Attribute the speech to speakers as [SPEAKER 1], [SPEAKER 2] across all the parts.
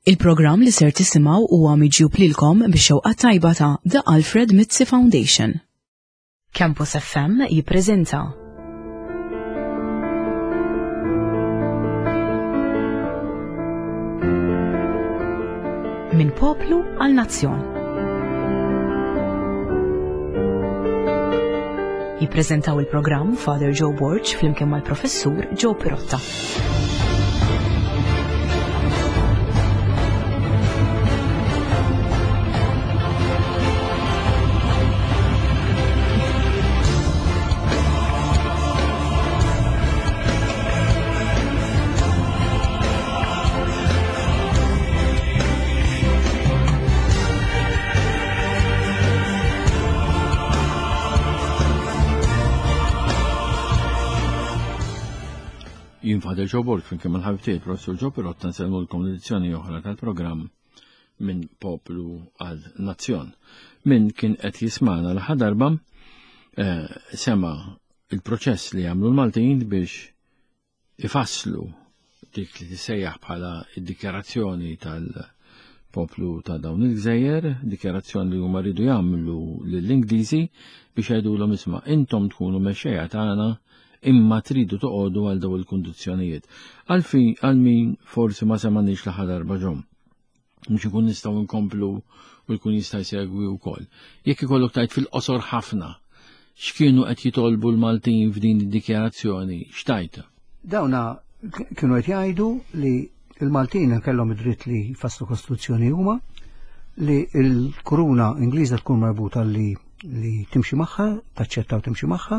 [SPEAKER 1] Il-programm li ser tisimgħu huwa miġjub lilkom bix-xewqa tajba ta' The Alfred Mizzi Foundation. Campus FM jippreżenta Minn poplu għal nazzjon. Jippreżentaw il-programm Father Joe Borg flimkien mal-Professur Joe Pirotta.
[SPEAKER 2] Jien Father Joe Borg flimkien mal-ħabib tiegħi Professur Joe Pirotta nsellmulkom l-edizzjoni oħra tal-programm minn poplu għal nazzjon. Min kien qed jismana l-aħħar darba eh, sema il-proċess li għamlu l-Maltin biex ifasslu dik li tissejjaħ bħala id-dikjarazzjoni tal-poplu ta' dawn il-gżejjer, dikjarazzjoni li huma rridu jagħmlu lill-Ingliżi biex jgħidulhom isma' intom tkunu mexxejja tagħna imma tridu toqogħdu għal dawn il-kundizzjonijiet. Għalfi għal min forsi ma semaniex l-aħħar darba ġom. Mhux ikun nistgħu nkomplu u jkun jista' jsegwi wkoll. Jekk ikollok tajt fil-qosor ħafna, x'kienu qed jitolbu l-Maltin f'din id-dikjarazzjoni, x'tajt?
[SPEAKER 3] Dawna kienu qed jgħidu li l-Maltin kellhom id-dritt li jfasslu kostituzzjoni huma, li l-kuruna Ingliża tkun marbuta li li timxi magħha, taċċetta u timxi magħha,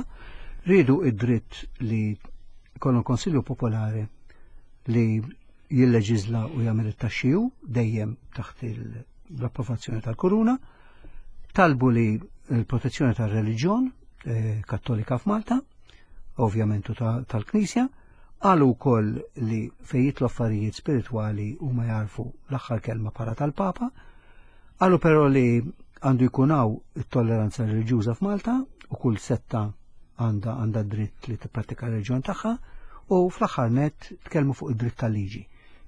[SPEAKER 3] riedu id-dritt li jkollhom Konsilju Popolari li jilleġiżla u jagħmel it-taxxi hu dejjem taħt l-approvazzjoni tal-kuruna, talbu li l-protezzjoni tar-reliġjon eh, kattolika f'Malta, ovvjament u tal-Knisja, qalu wkoll li fejn jitlu affarijiet spiritwali huma jarfu l-aħħar kelma bħala tal-Papa, qalu però li għandu jkun hawn it-tolleranza reliġjuża f'Malta u kull setta għandha għandha dritt li tipprattika r-reliġjon tagħha u fl-aħħar nett tkellmu fuq id-dritt tal-liġi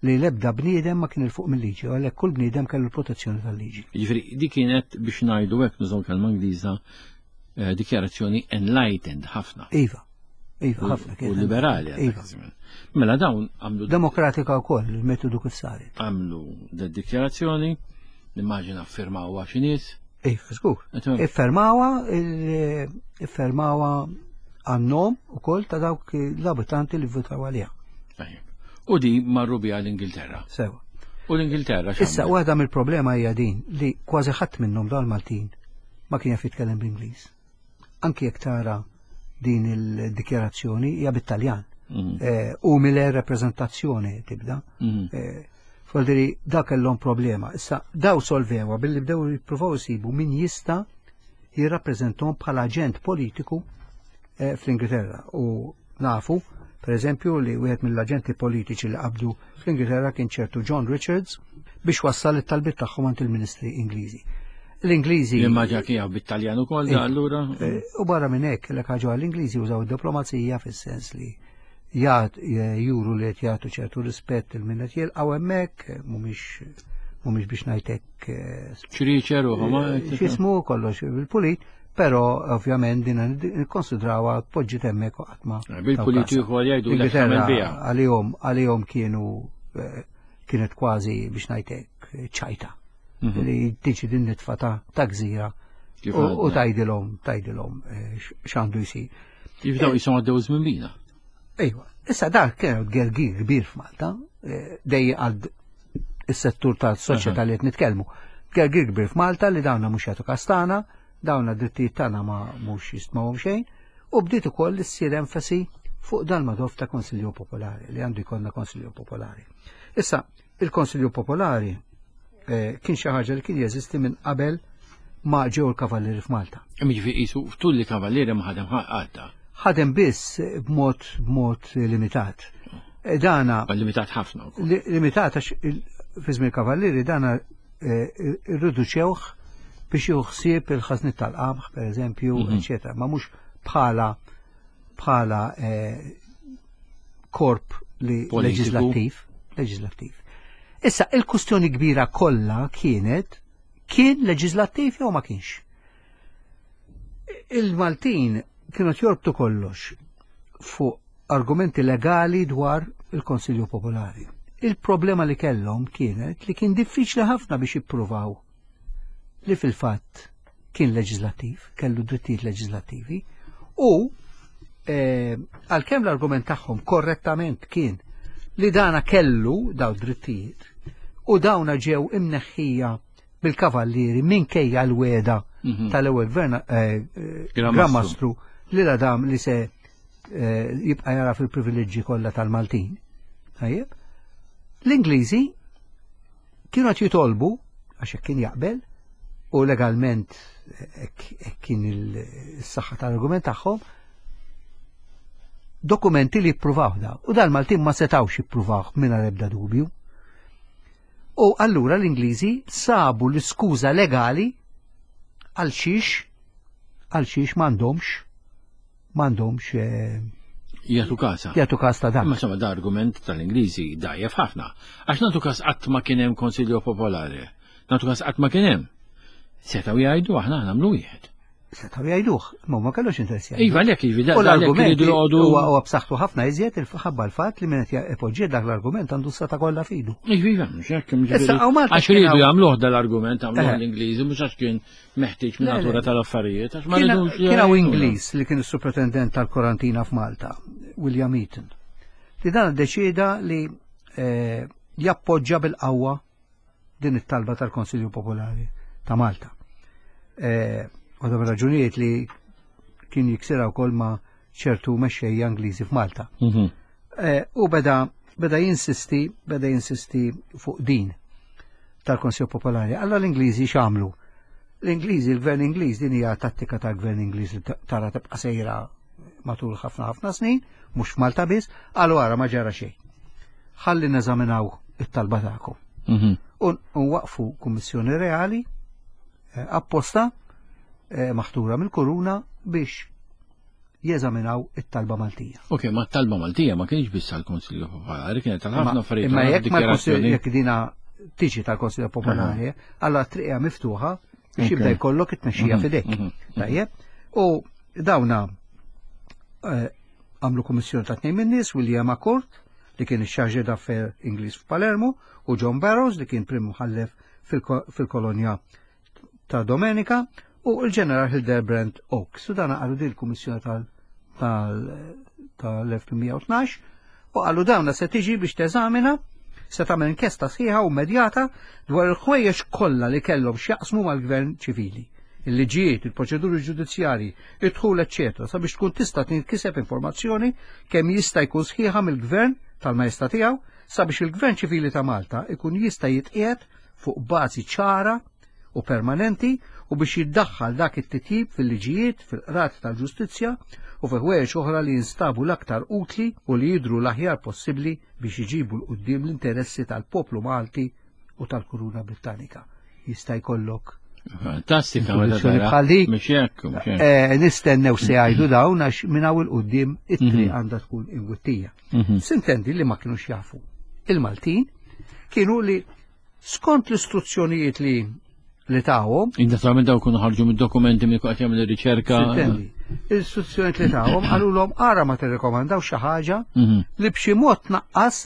[SPEAKER 3] li l-ebda bniedem ma kien il fuq mill-liġi u għalhekk kull bniedem kellu l-protezzjoni tal-liġi.
[SPEAKER 2] Jiġifieri di kienet biex ngħidu hekk nużaw kelma Ingliża eh, dikjarazzjoni enlightened ħafna.
[SPEAKER 3] Iva. Iva, ħafna
[SPEAKER 2] kien. U liberali. Iva. Mela dawn għamlu.
[SPEAKER 3] Demokratika wkoll il-metodu kif saret.
[SPEAKER 2] Għamlu dikjarazzjoni, nimmaġina firmaw xi nies.
[SPEAKER 3] Iva, żgur. Iffermawha, iffermawha għan-nom ukoll ta' dawk l-abitanti li votaw għaliha.
[SPEAKER 2] U di marru biha l-Ingilterra.
[SPEAKER 3] Sewa.
[SPEAKER 2] U l-Ingilterra
[SPEAKER 3] Issa, waħda mill-problema hija din li kważi ħadd minnhom dawn Maltin ma kien jaf jitkellem bl-Ingliż. Anki jekk tara din il-dikjarazzjoni hija bit-Taljan. Mhm. Eh, u mille rappresentazzjoni tibda. Mhm. Eh, Foldiri, da kellhom problema. Issa, daw solvewa billi bdew jippruvaw isibu min jista' jirrappreżentom bħala aġent politiku eh, fl-Ingilterra. U nafu, per eżempju, li wieħed mill-aġenti politiċi li qabdu fl-Ingilterra kien ċertu John Richards biex wassal it-talbiet tagħhom għand il-Ministri Ingliżi. L-Ingliżi.
[SPEAKER 2] Imma ġa kien bit-Taljan ukoll da allura.
[SPEAKER 3] Eh, u barra minn hekk l ħaġa l-Ingliżi użaw id-diplomazija fis-sens li jgħat juru li qed jagħtu ċertu rispett il min qed jilqgħu hemmhekk, mhumiex mhumiex biex ngħidlek eh,
[SPEAKER 2] ċriċer u ma
[SPEAKER 3] eh, x'ismu kollox bil-pulit, però ovvjament din nikkonsidrawha poġġiet hemmhekk u qatt ma.
[SPEAKER 2] Bil-pulit ieħor jgħidu li
[SPEAKER 3] għalihom għalihom kienu kienet kważi biex ngħidlek ċajta. Mhm. Li tiġi din nitfa ta' gżira u tajdilhom tajdilhom eh, x'għandu jsir.
[SPEAKER 2] Jibdew jisom għaddew żmien bina.
[SPEAKER 3] Ejwa, issa dak kien gergir kbir f'Malta, eh, dej għal is-settur tal-soċjetà li qed nitkellmu. Gergir kbir f'Malta li dawna mhux jagħtu kastana, dawna drittijiet tagħna ma mhux jistmawhom xejn, u bdiet ukoll issir enfasi fuq dal-madof ta' Konsilju Popolari, li għandu jkollna Konsilju Popolari. Issa, Il-Konsilju Popolari eh, kien xi ħaġa li kien jeżisti minn qabel ma ġew il-kavallieri f'Malta.
[SPEAKER 2] Jiġifieri qisu ftul li kavallieri ma ħadem ħadd.
[SPEAKER 3] Ħadem biss b'mod b'mod limitat.
[SPEAKER 2] Eh, dana limitat ħafna.
[SPEAKER 3] Limitat għax fi żmien kavallieri dana eh, irriduċewh biex jieħu ħsieb il-ħażnit tal-qamħ, per eżempju, mhm. eċetera, ma mhux bħala bħala eh, korp li leġislattiv, leġislattiv. Issa, il-kustjoni kbira kollha kienet kien leġislattiv jew ma kienx. Il-Maltin kienu jorbtu kollox fuq argumenti legali dwar il-Konsilju Popolari. Il-problema li kellhom kienet li kien diffiċli ħafna biex jippruvaw li fil-fatt kien leġislattiv, kellu drittijiet leġislattivi, u eh, għalkemm l-argument tagħhom korrettament kien li dana kellu daw drittijiet u dawna ġew imneħħija bil-kavallieri minkejja l-weda mhm. tal-ewwel gvern eh, eh, Gran Mastru li la dam li se eh, jibqa' jara fil-privileġġi kollha tal-Maltin. Tajjeb. L-Ingliżi kienu qed jitolbu għax hekk kien jaqbel u legalment hekk kien il-saħħa tal-argument tagħhom dokumenti li jippruvaw da. U dal-Maltin ma setawx jippruvaw mingħajr ebda dubju. U allura l-Ingliżi sabu l-iskuża legali għal xiex għal xiex m'għandhomx m'għandhomx eh,
[SPEAKER 2] Jagħtu kasa.
[SPEAKER 3] Jagħtu kas ta' dan.
[SPEAKER 2] Ma sama da argument tal-Ingliżi dajjef ħafna. Għax nagħtu kas qatt ma kien hemm Konsilju Popolari. Nagħtu kas qatt ma kien hemm. Setgħu jgħidu aħna nagħmlu wieħed.
[SPEAKER 3] Setgħu jgħiduh, ma ma kellux interess
[SPEAKER 2] jgħidu. Iva, lek, iva, U l-argument
[SPEAKER 3] huwa b'saħħtu ħafna iżjed il-ħabba l-fatt li min qed ipoġġi dak l-argument għandu s-seta kollha fidu.
[SPEAKER 2] Iva, iva, mhux hekk, Għax iridu jagħmluh dal-argument għamluh eh. l-Ingliżi mhux għax kien meħtieġ minn natura tal-affarijiet. Għax ma
[SPEAKER 3] rridux. Kien hawn Ingliż li kien is-supretendent tal-Korantina f'Malta, William Eaton, li dan iddeċieda li eh, jappoġġa bil-qawwa din it-talba tal-Konsilju Popolari ta' Malta. Eh, waħda mir-raġunijiet li kien jiksira wkoll ma' ċertu mexxejja Ingliżi f'Malta. Mhm. Eh, u beda beda jinsisti, beda jinsisti fuq din tal-Konsilju Popolari. Alla l-Ingliżi x'għamlu? L-Ingliżi, il-Gvern Ingliż, din hija tattika tal-Gvern Ingliż li tara tibqa' sejra matul ħafna ħafna snin, mhux f'Malta biss, qalu ara ma ġara xejn. Ħalli neżaminaw it-talba tagħkom. Mhm. U waqfu kummissjoni reali eh, apposta eh, maħtura mill-kuruna biex jeżaminaw it-talba Maltija.
[SPEAKER 2] Ok, ma t-talba Maltija ma kienx biss għal-Konsilju Popolari, kienet għal ħafna affarijiet.
[SPEAKER 3] Imma jekk ma jekk dina tiġi tal-Konsilju Popolari, allora triqja miftuħa biex jibda jkollok it-tmexxija mhm, fidejk. Mhm, mhm. Tajjeb? U dawna eh, għamlu kummissjoni ta' tnejn min-nies, William Accord, li kien ix-chargé d'affaires Ingliż f'Palermo, u John Barrows, li kien prim mħallef fil-kolonja ta' Domenica, u l-ġeneral Hildebrand Oaks. U dana qalu din il-kummissjoni tal-1812 u qalu dawna se tiġi biex teżamina se tagħmel inkjesta sħiħa u immedjata dwar il-ħwejjeġ kollha li kellhom x'jaqsmu mal-gvern ċivili, il-liġijiet, il-proċeduri ġudizzjarji, id-dħul eċċetera sabiex tkun tista' tinkiseb informazzjoni kemm jista' jkun sħiħa mill-gvern tal-Majestà tiegħu sabiex il-Gvern Ċivili ta' Malta ikun jista' jitqiegħed fuq bażi ċara u permanenti u biex jiddaħħal dak it-titjib fil-liġijiet, fil-qrati tal-ġustizzja u fi ħwejjeġ oħra li jinstabu l-aktar utli u li jidhru l-aħjar possibbli biex iġibu 'l quddiem l-interessi tal-poplu Malti u tal-Kuruna Brittanika. Jista' jkollok
[SPEAKER 2] Fantastika, meta tara.
[SPEAKER 3] Bħal dik.
[SPEAKER 2] Mhux hekk, mhux hekk.
[SPEAKER 3] Eh, nistennew se jgħidu dawn għax minn hawn il-qudiem it-triq mhm. għandha tkun imwittija. Mhm. Sintendi li ma kinux jafu. Il-Maltin kienu li Skont l-istruzzjonijiet li li tawhom.
[SPEAKER 2] Naturalment daw kunu ħarġu mid-dokumenti minn qed jagħmel ir-riċerka.
[SPEAKER 3] L-istruzzjonijiet li tawhom qalulhom ara ma tirrekomandaw xi ħaġa mhm. li b'xi mod tnaqqas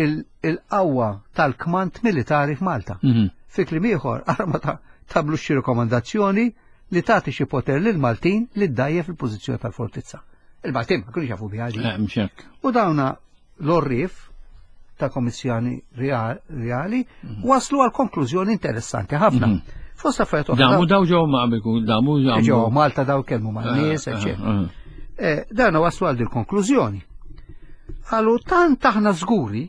[SPEAKER 3] il-qawwa tal-kmand militari f'Malta. Mhm. Fi kliem ieħor, ara ma tagħmlux xi rekomandazzjoni li tagħti xi poter lil Maltin li ddajjef il-pożizzjoni tal-fortizza. Il-Maltin ma kienux jafu biha.
[SPEAKER 2] Eh,
[SPEAKER 3] U dawna l-orrif ta' komissjoni reali mhm. waslu għal konklużjoni interessanti ħafna. Mhm.
[SPEAKER 2] Fost affarijiet oħra. Damu daw ġew ma' qabel damu
[SPEAKER 3] ġew Malta daw kelmu ma' eh, nies, eh, eċċetera. Eh. Dana waslu għal dil-konklużjoni. Għalu tant aħna żguri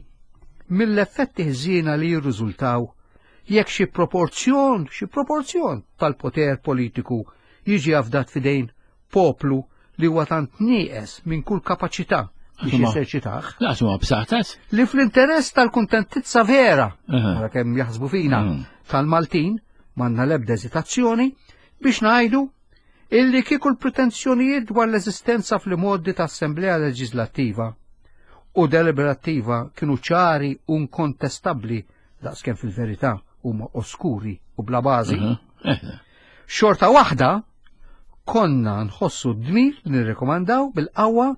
[SPEAKER 3] mill-effetti ħżiena li jirriżultaw jekk xi proporzjon, xi proporzjon tal-poter politiku jiġi afdat fidejn poplu li huwa tant nieqes minn kull kapaċità biex jeżerċitah.
[SPEAKER 2] Laqas huwa b'saħħtas.
[SPEAKER 3] Li fl-interess tal-kuntentizza vera, wara kemm jaħsbu fina, mhm. tal-Maltin, m'għandna l-ebda eżitazzjoni biex ngħidu illi kieku l-pretenzjonijiet dwar l-eżistenza fl-modi ta' Assemblea Leġislattiva. u deliberattiva kienu ċari u nkontestabbli daqskemm fil-verità huma oskuri u bla bażi, xorta waħda konna nħossu d-dmir li nirrekomandaw bil-qawwa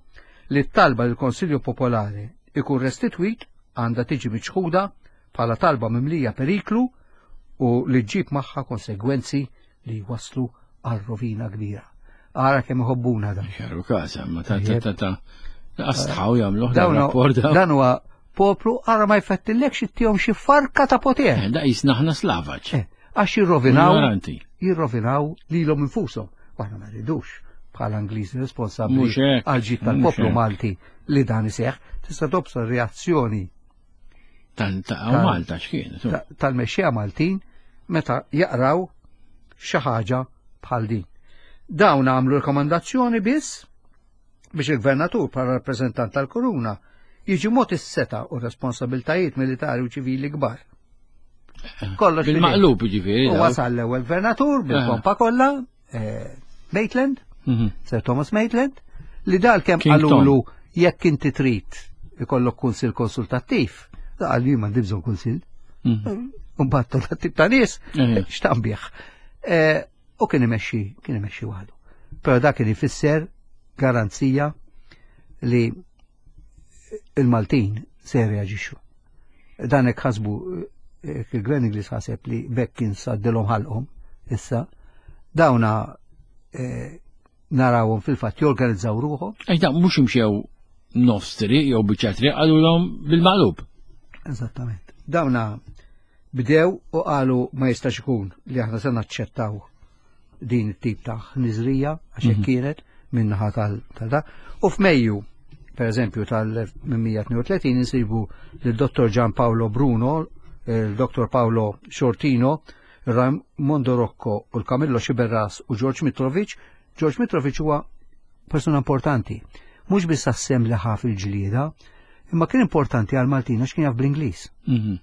[SPEAKER 3] li t-talba li l-Konsilju Popolari ikun restitwit għandha tiġi miċħuda bħala talba mimlija periklu u li ġġib magħha konsegwenzi li jwasslu għal rovina kbira. Ara kemm iħobbuna dan.
[SPEAKER 2] Xaru każ, ma ta' ta' ta' ta' astħaw jagħmluh dan rapport.
[SPEAKER 3] Dan huwa poplu ara ma jfettillekx ittihom xi farka ta' poter.
[SPEAKER 2] Eh, da jisna aħna slavaġ.
[SPEAKER 3] Eh, għax jirrovinaw. Jirrovinaw lilhom infushom. Aħna ma rridux bħala Ingliżi responsabbli għal ġid tal-poplu Malti li dan iseħħ. Tista' tobsor reazzjoni
[SPEAKER 2] Tal-Malta x'kien.
[SPEAKER 3] Tal-mexxija Maltin meta jaqraw xi ħaġa bħal din. Dawn għamlu rekomandazzjoni biss biex il-gvernatur bħala rappreżentant tal-kuruna jiġi mod is-seta u responsabiltajiet militari u ċivili kbar.
[SPEAKER 2] Kollox bil-maqlub ġifieri.
[SPEAKER 3] U wasal l-ewwel gvernatur bil-pompa kollha, eh, Maitland, mhm. Sir Thomas Maitland, li dal kemm qalulu jekk inti trid ikollok kunsil konsultattiv, da qal li m'għandi bżonn kunsil. Mhm. Mbagħad dat tip ta' nies eh. x'tambih. Eh, u kien imexxi, kien imexxi waħdu. Però dak kien ifisser garanzija li il-Maltin se jirreaġixxu. Dan hekk ħasbu eh, il-Gvern Ingliż ħaseb li bekk kien saddilhom ħalqhom issa dawna eh, narawhom fil-fatt jorganizzaw ruħhom.
[SPEAKER 2] Ej da mhux imxew nofs triq jew biċċa triq qalulhom bil-maqlub.
[SPEAKER 3] Eżattament. Dawna bdew u qalu ma jistax ikun li aħna se naċċettaw din it-tip ta' ħniżrija għax hekk mhm. kienet minnaħa tal-da. U f'Mejju, per eżempju, tal-1832 insibu lil-Dottor Gian Paolo Bruno, il-Dottor Paolo Shortino, Raimondo Rocco u l-Camillo Xiberras u George Mitrovic. George Mitrovic huwa persuna importanti. Mhux biss għas-sem li ħa fil-ġlieda, imma kien importanti għal Maltin għax kien jaf bl-Ingliż. Mhm.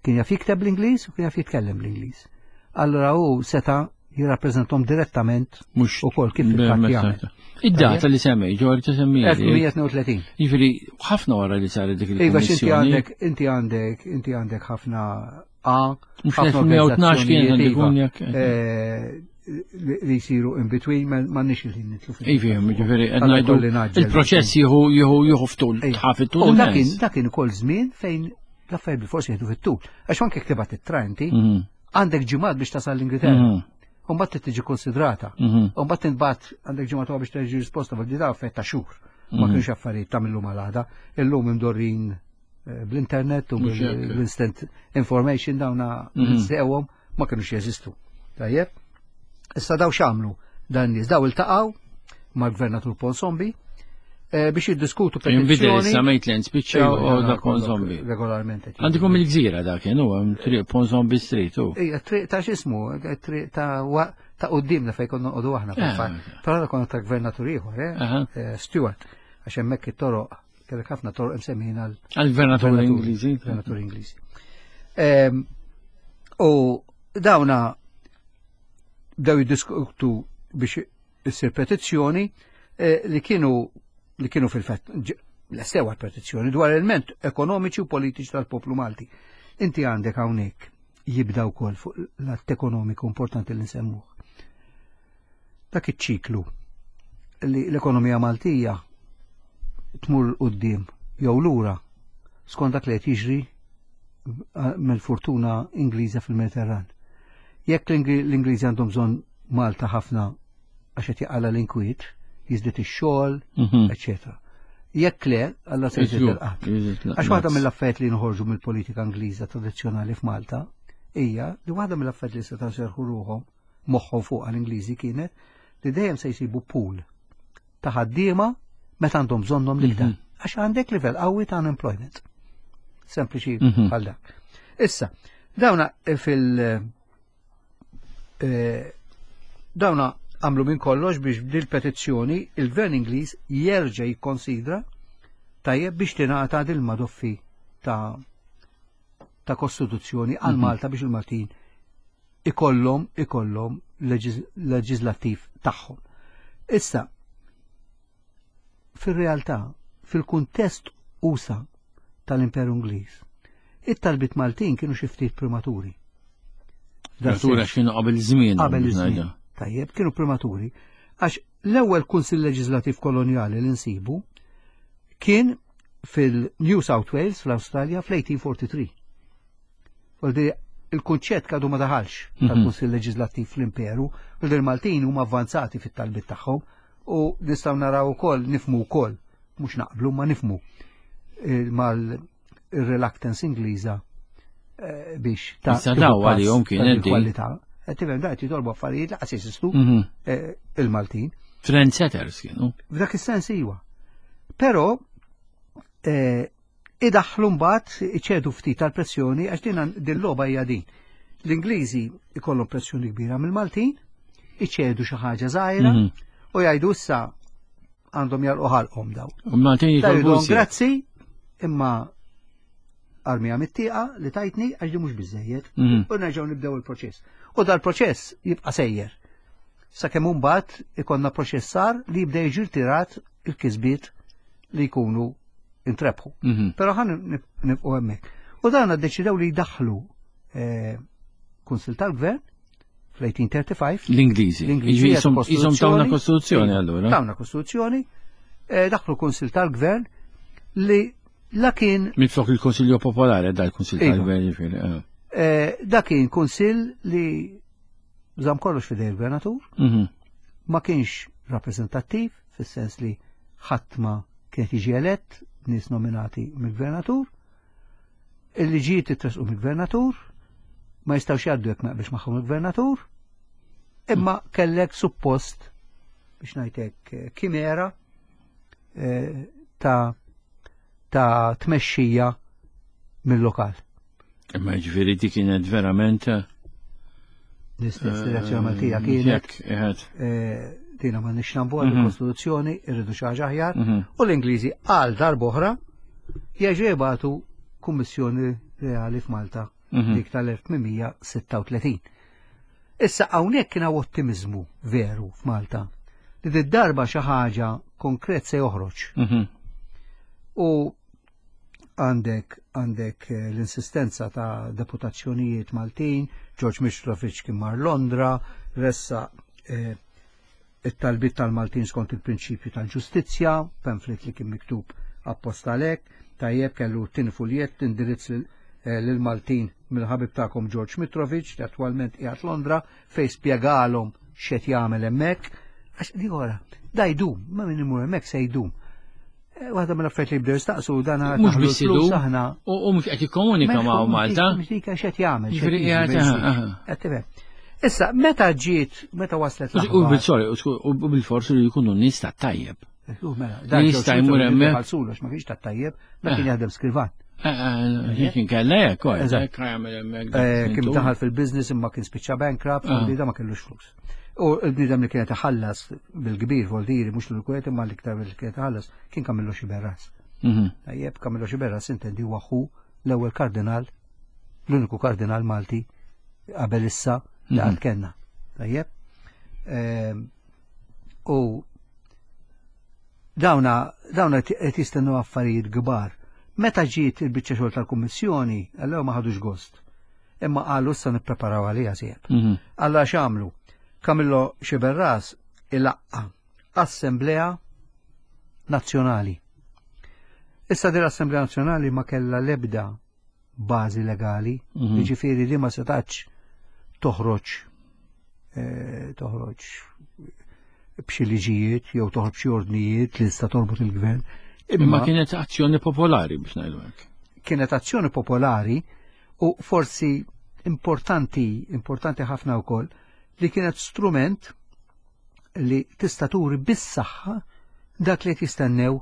[SPEAKER 3] Kien jaf jikteb bl-Ingliż u kien jaf jitkellem bl-Ingliż. Allura hu seta' jirrappreżentom direttament
[SPEAKER 2] mhux
[SPEAKER 3] ukoll kif fil-fatt jagħmel.
[SPEAKER 2] Id-data li semmej, ġor ta' semmi.
[SPEAKER 3] 1832.
[SPEAKER 2] Jiġifieri ħafna wara li saret dik il-kummissjoni.
[SPEAKER 3] Iva, inti għandek, inti għandek, inti għandek ħafna A.
[SPEAKER 2] Mhux 1912 kien għandu jkun jekk.
[SPEAKER 3] Eh, li jisiru in between ma nix il-ħin nitlu
[SPEAKER 2] fil Ivi, ġifieri qed ngħidu il-proċess jieħu jieħu jieħu ftul, tħaf it-tul.
[SPEAKER 3] Dak kien ukoll żmien fejn l-affarijiet bil-forsi jieħdu fit-tul. Għax anke ktibat it-tra inti, mhm. għandek ġimgħat biex tasal l-Ingilterra. Mhm. U mbagħad tiġi konsidrata. Mhm. U mbagħad tinbagħat għandek ġimgħat biex terġi risposta fil da affett ta' xhur. Ma kienx affarijiet ta' millum għal għada. Illum imdorrin eh, bl-internet u bl-instant information dawna sewhom ma kienux jeżistu. Tajjeb? Issa daw x'għamlu dan nies daw iltaqgħu mal-gvernatur Ponsombi eh, biex jiddiskutu
[SPEAKER 2] petizzjoni. Jinbidel issa Maitland spiċċa u da Ponsombi.
[SPEAKER 3] Regolarment.
[SPEAKER 2] Għandikom il-gżira da kien huwa triq Ponsombi Street u.
[SPEAKER 3] Ija, triq ta' x'ismu, triq ta' ta' qudiemna fejn konna noqogħdu aħna eh. fil-fatt. Però konna ta' gvernatur ieħor, eh, Stewart, għax hemmhekk it-toroq kellek ħafna toroq imsemmin
[SPEAKER 2] għal għal-gvernatur Ingliżi.
[SPEAKER 3] Gvernatur Ingliżi. Ehm, u dawna bdew jiddiskutu biex issir petizzjoni eh, li kienu li kienu fil-fatt l-sewa petizzjoni dwar element ekonomiċi u politiċi tal-poplu Malti. Inti għandek hawnhekk jibda wkoll fuq l-att ekonomiku importanti li nsemmuh. Dak iċ-ċiklu li l-ekonomija Maltija tmur quddiem jew lura skont dak li qed jiġri eh, mill-fortuna Ingliża fil-Mediterran. Jekk l-Ingliżi għandhom bżonn Malta ħafna għax qed jaqala l-inkwiet, jiżdied ix-xogħol, mhm. eċetera. Jekk le, alla se jżid il-qatt. Għax waħda mill-affarijiet li nħorġu mill-politika Ingliża tradizzjonali f'Malta hija li waħda mill-affarijiet li setgħu serħu ruħhom moħħhom fuq l-Ingliżi kienet li dejjem se jsibu pool ta' ħaddiema meta għandhom bżonnhom l-iktar. Mhm. Għax għandek livell qawwi ta' unemployment. Sempliċi mhm. bħal dak. Issa, dawna fil- eh, dawna għamlu minn kollox biex bil petizzjoni il-Gvern Ingliż jerġa' jikkonsidra tajjeb biex tingħata dil madoffi ta' ta' kostituzzjoni għal mhm. Malta biex il-Maltin ikollhom ikollhom leġislattiv tagħhom. Issa, fir-realtà, fil-kuntest usa tal-Imperu Ingliż. It-talbiet Maltin kienu xi ftit prematuri.
[SPEAKER 2] Prematura x'kienu qabel żmien.
[SPEAKER 3] Qabel iż-żmien. Tajjeb, kienu prematuri. Għax l-ewwel Kunsill Leġislattiv Kolonjali li nsibu kien fil-New South Wales fl-Awstralja fl-1843. Voldi il-kunċett kadu ma daħalx mhm. tal-Kunsill Leġislattiv fl-Imperu, voldi il-Maltin huma avvanzati fit-talbit tagħhom u nistgħu naraw ukoll nifmu wkoll mhux naqblu ma nifmu eh, mal-reluctance Ingliża eh, biex
[SPEAKER 2] ta' Issa daw għalihom kien
[SPEAKER 3] kwalità. Eh, tifhem da jitolbu affarijiet laqas jeżistu mhm. il-Maltin.
[SPEAKER 2] Trendsetters kienu.
[SPEAKER 3] F'dak is-sens iwa. Però idaħħlu mbagħad iċedu ftit tal-pressjoni għax din din logħba hija din. L-Ingliżi ikollhom pressjoni kbira mill-Maltin, iċedu xi ħaġa żgħira mhm. u jgħidu issa għandhom jalqu ħalqhom daw.
[SPEAKER 2] U Maltin jitolbu
[SPEAKER 3] grazzi imma armija mit-tieqa li tajtni għax di mhux biżejjed mhm. u nerġgħu nibdew il-proċess. U dal-proċess jibqa' sejjer. Sakemm imbagħad ikollna proċessar li jibda jiġi rtirat il-kisbiet li jkunu intrebħu. Mhm. Però ħan nibqgħu hemmhekk. U dan ddeċidew li jdaħħlu eh, Kunsil tal-Gvern fl-1835.
[SPEAKER 2] L-Ingliżi.
[SPEAKER 3] L-Ingliżi.
[SPEAKER 2] Jisom tawna kostituzzjoni allura.
[SPEAKER 3] Tawna kostituzzjoni, eh, daħlu Kunsil tal-Gvern li la kien.
[SPEAKER 2] Minflok il-Konsilju Popolari dal kunsil iva. tal-Gvern ġifieri.
[SPEAKER 3] Eh. Eh, da kien kunsil li żamm kollox fidej il-gvernatur, mhm. ma kienx rappreżentattiv, fis-sens li ħadd ma kienet jiġi elett nies nominati mill-gvernatur, il-liġijiet jitresqu mill-gvernatur, ma jistgħux jgħaddu jekk ma jaqbilx magħhom il-gvernatur, imma kellek suppost biex ngħidlek eh, kimera eh, ta' ta' tmexxija mill-lokal.
[SPEAKER 2] Imma ġifieri dik kienet verament eh,
[SPEAKER 3] l-istess direzzjoni Maltija kienet. Dina ma nix nambu għal mhm. kostituzzjoni, irridu xi ħaġa aħjar, mhm. u l-Ingliżi għal darb'oħra jerġgħu jibgħatu kummissjoni reali f'Malta mhm. dik tal-1836. Issa hawnhekk kien hawn ottimizmu veru f'Malta li d-darba xi ħaġa konkret se joħroġ. U għandek għandek eh, l-insistenza ta' deputazzjonijiet Maltin, George Mitrovic kien mar Londra, ressa eh, it-talbiet tal-Maltin skont il-prinċipju tal-ġustizzja, pamphlet li kien miktub apposta għalhekk, tajjeb kellu tin fuljett indirizz eh, lill-Maltin mill-ħabib tagħkom George Mitrovic li attwalment qiegħed Londra fejn spjegalhom x'qed jagħmel hemmhekk. Għax di ora, da jdum, ma min imur hemmhekk se jdum. Eh, waħda mill-affarijiet li jibdew jistaqsu dan
[SPEAKER 2] mhux biss idu aħna. U mhux qed jikkomunika ma' Malta.
[SPEAKER 3] Mhux dik x'qed jagħmel. Ġifieri Issa, meta ġiet, meta waslet
[SPEAKER 2] l U bil-sorry, u bil-forsi li jkunu nies ta' tajjeb.
[SPEAKER 3] Mela, dan
[SPEAKER 2] jista' jmur hemmhekk.
[SPEAKER 3] Ħalsulu ma kienx ta' tajjeb, ma kien eh. jaħdem skrivan.
[SPEAKER 2] Eh, kien kella hekk,
[SPEAKER 3] Kien daħal fil-business imma kien spiċċa bankrupt, u da ma kellux flus. U l-bniedem li kienet iħallas bil-kbir voldiri mhux l-kwiet imma l-iktar li kienet iħallas kien Kamillo Xiberras. Mhm. Tajjeb, Kamillo Xiberras intendi huwa ħu l-ewwel kardinal, l-uniku kardinal Malti qabel issa li mhm. għad kellna. Tajjeb. Ehm, u dawna dawna qed jistennu affarijiet kbar. Meta ġiet il-biċċa xogħol tal-Kummissjoni, allura ma ħadux gost. Imma qalu issa nippreparaw għaliha sieb. Mhm. Alla x'għamlu? Kamillo Xiberras ilaqqa Assemblea Nazzjonali. Issa din l-Assemblea Nazzjonali ma kellha l-ebda bażi legali, mhm. jiġifieri li ma setax toħroġ eh, toħroġ b'xi liġijiet jew toħroġ b'xi ordnijiet li tista' torbot il-gvern.
[SPEAKER 2] Imma kienet azzjoni popolari biex ngħidu hekk.
[SPEAKER 3] Kienet azzjoni popolari u forsi importanti, importanti ħafna wkoll li kienet strument li tista' turi bis-saħħa dak li qed jistennew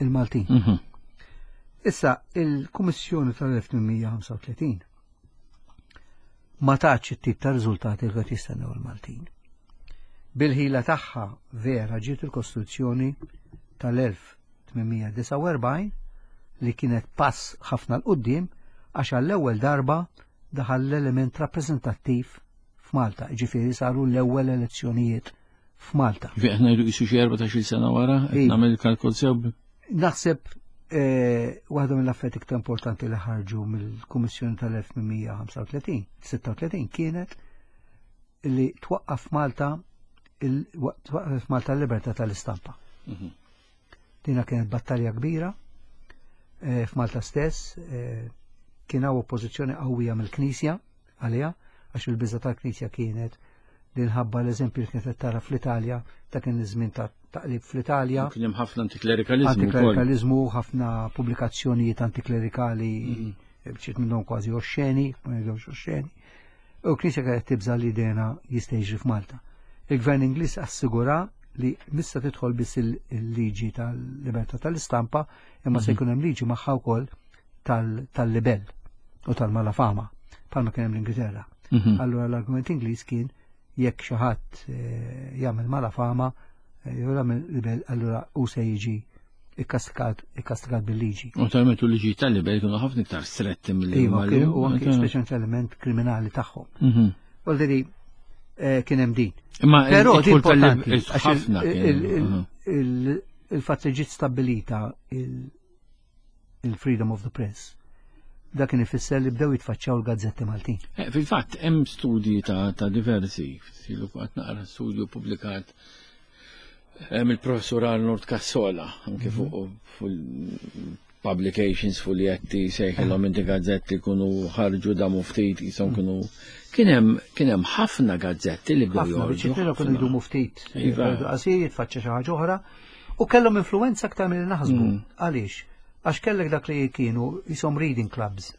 [SPEAKER 3] il-Maltin. Mm -hmm. Issa, il-Kummissjoni tal-1835 ma taċ it-tip ta' riżultati li qed jistennew il-Maltin. Bil-ħila tagħha vera ġiet il-Kostituzzjoni tal-1849 li kienet pass ħafna 'l quddiem għax għall-ewwel darba daħal l-element rappreżentattiv f'Malta, ġifieri saru l-ewwel elezzjonijiet f'Malta.
[SPEAKER 2] Ġifieri qed ngħidu qisu xi 14-il sena wara, qed nagħmel il-kalkol sew.
[SPEAKER 3] Naħseb. Eh, waħda mill-affarijiet iktar importanti li ħarġu mill-Kummissjoni tal-1835, 36 kienet li twaqqaf Malta twaqqaf Malta l-libertà tal-istampa. Mhm. Dina kienet battalja kbira eh, f'Malta stess, eh, kien hawn oppożizzjoni qawwija mill-Knisja għaliha għax il-biża tal-Knisja kienet li nħabba l-eżempju li kienet tara fl-Italja ta' kien iż-żmien ta' taqlib fl-Italja.
[SPEAKER 2] Kien hemm ħafna antiklerikalizmu.
[SPEAKER 3] Antiklerikalizmu, ħafna pubblikazzjonijiet antiklerikali, mhm. bċiet minnhom kważi oxxeni, ma jgħidux oxxeni. U knisja kienet tibża li dena jista' jiġri f'Malta. Il-Gvern Ingliż assigura li mista tidħol biss il-liġi tal-libertà tal-istampa, imma se mhm. jkun hemm liġi magħha wkoll tal-libel u tal-malafama, bħalma kien hemm l-Ingilterra. Mhm. Allura l-argument Ingliż kien jekk xi ħadd eh, jagħmel malafama, eh, jew jagħmel libel, allura hu se jiġi ikkastigat ikkastigat bil-liġi.
[SPEAKER 2] U tal-metu liġi tal-libel kienu ħafna iktar stretti mill-li.
[SPEAKER 3] Iva, u anki speċjalment l-element kriminali tagħhom. Mhm. Voldiri eh, kien hemm din.
[SPEAKER 2] Imma
[SPEAKER 3] Però din importanti il-fatt li ġiet stabbilita il-freedom of the press. Dak kien ifisser li bdew jitfaċċaw l-gazzetti Maltin.
[SPEAKER 2] Eh, fil-fatt hemm studji ta', ta diversi, silu qatt naqra studju publikat eh, mill-professur Arnold Cassola, anke mhm. fuq publications fuljetti sejħilhom inti gazzetti kunu ħarġu damu ftit jisom mhm. kunu kien hemm kien hemm ħafna gazzetti li bdew
[SPEAKER 3] joħorġu. Ħafna kienu jdumu ftit. Iva. Qasir jitfaċċa xi ħaġa oħra U kellhom influenza aktar milli naħsbu. Mm. Għaliex? Għax kellek dak li kienu jisom reading clubs.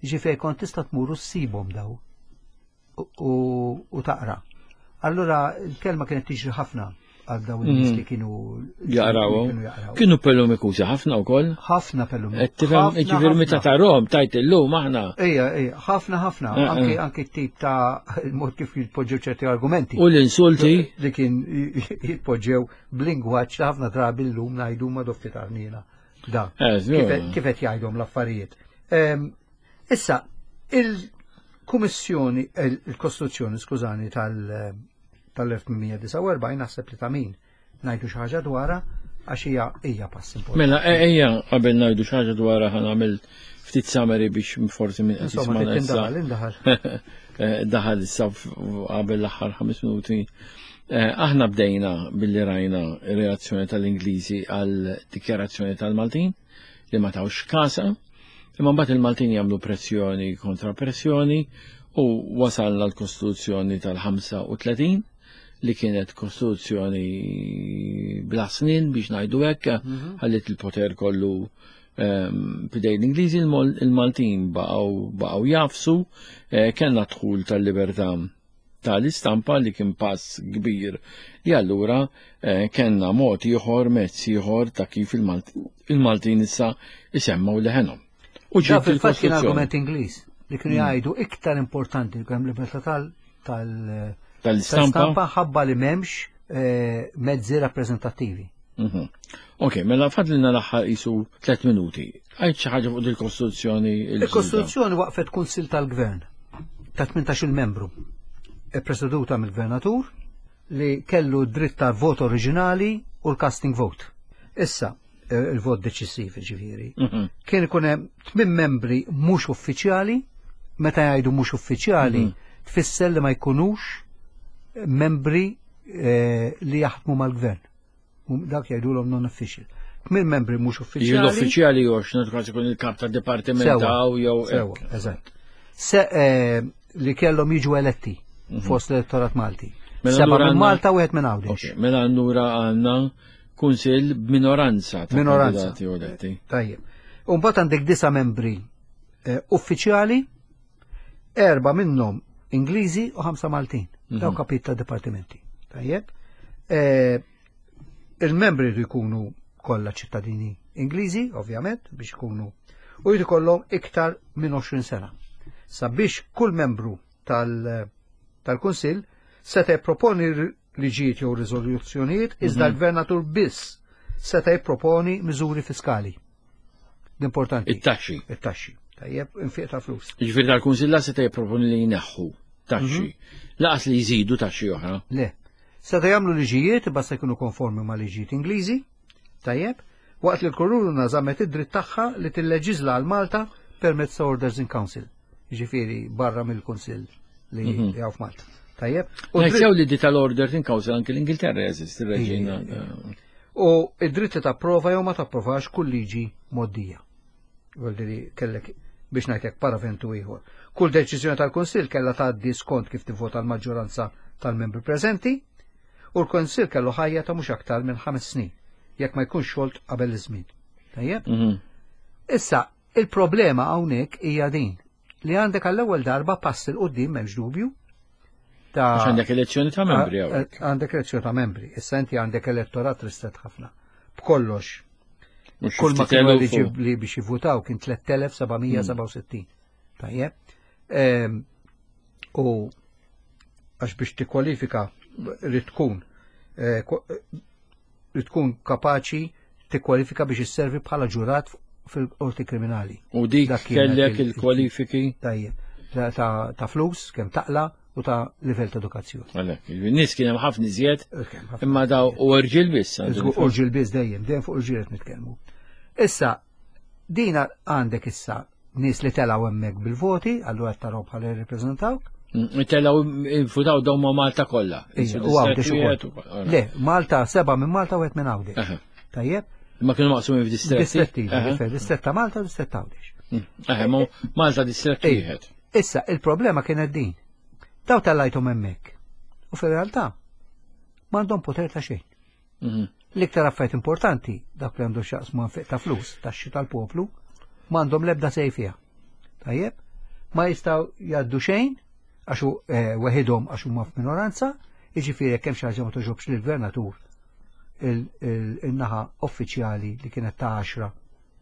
[SPEAKER 3] Ġifieri kont tista' tmur u ssibhom daw u taqra. Allura l-kelma kienet tiġri ħafna għal daw in-nies mm. li kienu
[SPEAKER 2] jaqraw. Kienu pelumikużi ħafna wkoll.
[SPEAKER 3] Ħafna pelumikużi.
[SPEAKER 2] Tifhem, ġifieri meta tarhom tajt illum aħna.
[SPEAKER 3] Ejja, ejja, ħafna ħafna. Eh, eh. Anki tip ta' il-mod kif jitpoġġew ċerti argumenti.
[SPEAKER 2] U l-insulti.
[SPEAKER 3] Li kien jitpoġġew b'lingwaġġ li ħafna drabi llum ngħidu ma dofti tarnina. Da. Eh, kif qed jgħidhom l-affarijiet. Ehm, issa, il-Kummissjoni, il-Kostituzzjoni, skużani, tal-1849 naħseb li ta' min ngħidu xi ħaġa dwarha għax hija hija pass importanti.
[SPEAKER 2] Mela e, ejja qabel ngħidu xi ħaġa dwarha ħa nagħmel ftit summary biex forsi minn
[SPEAKER 3] qed jisma' issa. Indaħal,
[SPEAKER 2] eh, daħal issa qabel l-aħħar ħames minuti. Eh, aħna bdejna billi rajna reazzjoni tal-Ingliżi għal dikjarazzjoni tal-Maltin li ma tawx kasa, imma mbagħad il-Maltin jagħmlu pressjoni kontra pressjoni u wasalna l-Kostituzzjoni tal-35 li kienet kostituzzjoni bla snin biex ngħidu hekk, mhm. ħallit il-poter kollu ehm, f'idej l-Ingliżi, il-Maltin baqgħu jafsu, eh, kellna dħul tal-libertà tal-istampa li kien pass kbir li allura eh, kellna mod ieħor, mezz ieħor ta' kif il-Maltin issa isemmaw leħenhom.
[SPEAKER 3] U ġiet fil-fatt kien argument Ingliż li kienu mm. jgħidu iktar importanti li kemm libertà
[SPEAKER 2] tal-istampa
[SPEAKER 3] ħabba li m'hemmx eh, mezzi rappreżentattivi.
[SPEAKER 2] Mhm. Ok, mela fadlina l-aħħar isu 3 minuti. Għajt xi ħaġa fuq il-Kostituzzjoni.
[SPEAKER 3] Il-Kostituzzjoni waqfet Kunsil tal-Gvern ta' 18 membru, e preseduta mill-Gvernatur li kellu dritt ta' vot oriġinali u l-casting vote. Issa, eh, il-vot deċisiv ġifieri. Mhm. Kien ikun hemm tmien membri mhux uffiċjali, meta jgħidu mhux uffiċjali, mhm. tfisser li ma jkunux membri eh, li jaħdmu mal-gvern. Dak jgħidulhom non-official. Tmien membri mhux uffiċjali.
[SPEAKER 2] L-uffiċjali jew x'naturaż ikun il-kap ta' dipartiment jew
[SPEAKER 3] Sewa, eżatt. Se eh, li kellhom jiġu eletti mhm. fost l-elettorat Malti. Mela Seba minn Malta u wieħed minn Għawdex.
[SPEAKER 2] Mela allura għandna kunsill b'minoranza ta'
[SPEAKER 3] minoranza. eletti. Tajjeb. U mbagħad għandek disa membri eh, uffiċjali, erba' minnhom Ingliżi u ħamsa Maltin. Mhm. Daw kapit ta' dipartimenti. Tajjeb. Eh, il-membri jridu jkunu kollha ċittadini Ingliżi, ovvjament, biex ikunu u jrid ikollhom iktar minn 20 sena. Sabiex kull membru tal-Kunsill seta' jipproponi liġijiet jew riżoluzzjonijiet, iżda mhm. l-gvernatur biss seta' jipproponi miżuri fiskali. L-importanti.
[SPEAKER 2] It-taxxi.
[SPEAKER 3] It-taxxi. Tajjeb, infiq ta' flus.
[SPEAKER 2] Ġifieri tal-Kunsill seta' jipproponi li jneħħu taxxi. Mhm. Laqas li jżidu taxxi oħra.
[SPEAKER 3] Le. Seta' jagħmlu liġijiet basta jkunu konformi ma' liġijiet Ingliżi, tajjeb, Waqt li l-Kuruna żammet id-dritt tagħha li tilleġiżla għal Malta permezz ta' Orders in Council, jiġifieri barra mill-Kunsill li mhm. hawn f'Malta.
[SPEAKER 2] Tajjeb. U sew li di tal-Orders in Council anki l-Ingilterra jeżisti reġina.
[SPEAKER 3] U id-dritt li tapprova jew ma tapprovax kull liġi moddija. Vuol kellek biex ngħidlek paraventu ieħor. Kull deċiżjoni tal-Kunsill kellha tgħaddi skont kif tivvota l-maġġoranza tal-membri preżenti u l-Kunsill kellu ħajja ta' mhux aktar minn ħames snin jekk ma jkunx xolt qabel iż-żmien. Tajjeb? Mhm. Issa, il-problema hawnhekk hija din li għandek għall-ewwel darba pass il qudiem m'hemmx dubju.
[SPEAKER 2] Ta' għandek elezzjoni ta' membri hawnhekk.
[SPEAKER 3] Għandek elezzjoni ta' membri. Issa inti għandek elettorat ristret ħafna. B'kollox. Kull ma kienu eliġibbli biex jivvutaw kien 3767. Tajjeb. Ehm, u għax biex tikkwalifika rrid tkun eh, rrid tkun kapaċi tikkwalifika biex isservi bħala ġurat fil-qorti kriminali.
[SPEAKER 2] U dik kellek il-kwalifiki?
[SPEAKER 3] Tajjeb, ta' flus, kemm taqla u ta' livell ta' edukazzjoni.
[SPEAKER 2] Għalhekk, nies kien hemm ħafna iżjed, imma daw u rġiel biss.
[SPEAKER 3] U rġiel biss dejjem, dejjem fuq irġiel qed nitkellmu. Issa, dina għandek issa nies li telgħu hemmhekk bil-voti, allura qed tarahom bħala jirrappreżentawk.
[SPEAKER 2] Mm, telgħu votaw dawn ma' Malta kollha.
[SPEAKER 3] U Għawdex ukoll. Le, Malta seba' minn Malta u minn Għawdex. Tajjeb?
[SPEAKER 2] Ma kienu maqsumin f'distretti.
[SPEAKER 3] Distretti, distrett ta' Malta u distrett ta' Għawdex.
[SPEAKER 2] Mm, Malta distrett wieħed.
[SPEAKER 3] Issa, il-problema kienet din. Daw tellajthom hemmhekk. U fir-realtà m'għandhom poter ta' xejn. Mhm. L-iktar affarijiet importanti, dak li għandu xaqs ma' ta' flus, taxxi tal-poplu, m'għandhom l-ebda sej fiha. Tajjeb? Ma jistgħu jgħaddu xejn għax eh, weħidhom għax huma f'minoranza, jiġifieri jekk hemm xi ħaġa ma toġobx lill-gvernatur il-naħa uffiċjali li kienet ta' 10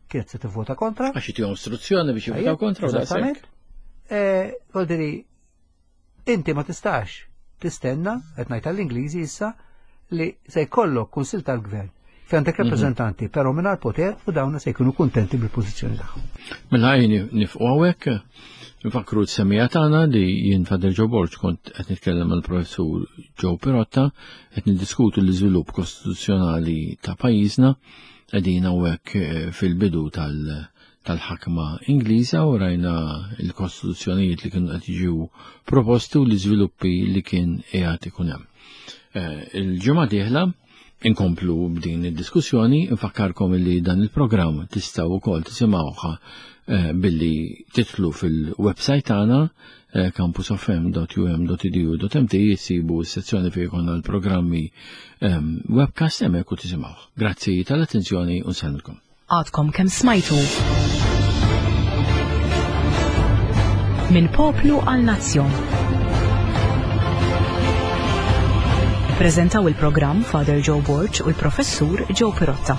[SPEAKER 3] kienet se tivvota kontra.
[SPEAKER 2] Għax jtihom istruzzjoni biex jivvotaw kontra.
[SPEAKER 3] Eżattament. Eh, Voldiri, inti ma tistax tistenna, qed ngħid għall-Ingliżi issa, li se jkollok kunsil tal-gvern fejn għandek mhm. rappreżentanti, però mingħajr poter u dawna se jkunu kuntenti bil-pożizzjoni tagħhom.
[SPEAKER 2] Mela għajni nifqu hawnhekk, nfakru t-semija tagħna li jien Fadel Joe Borg kont qed nitkellem mal-professur Joe Pirotta qed niddiskutu l-iżvilupp kostituzzjonali ta' pajjiżna qegħdin hawnhekk eh, fil-bidu tal- tal-ħakma Ingliża u rajna l-kostituzzjonijiet li kienu qed jiġu proposti u l-iżviluppi li kien qiegħed ikun hemm. Eh, il-ġimgħa dieħla inkomplu b'din id-diskussjoni, infakkarkom li dan il-programm tistgħu wkoll tisimgħuha eh, billi titlu fil-website tagħna eh, campusofm.um.edu.mt jissibu s-sezzjoni fejn jkollna l-programmi ehm, webcast hemmhekk u tisimgħuh. Grazzi tal-attenzjoni u nsellmilkom.
[SPEAKER 1] Għadkom kemm smajtu. Minn poplu għal nazzjon. Ippreżentaw il-programm Father Joe Borg u l-Professur Joe Pirotta.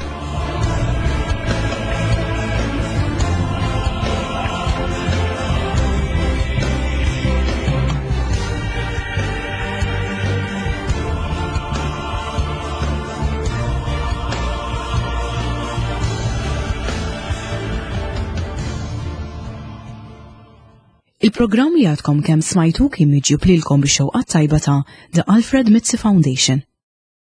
[SPEAKER 1] Il-programm li għadkom kemm smajtu kien miġjub lilkom bix-xewqat tajba ta' The Alfred Mizzi Foundation.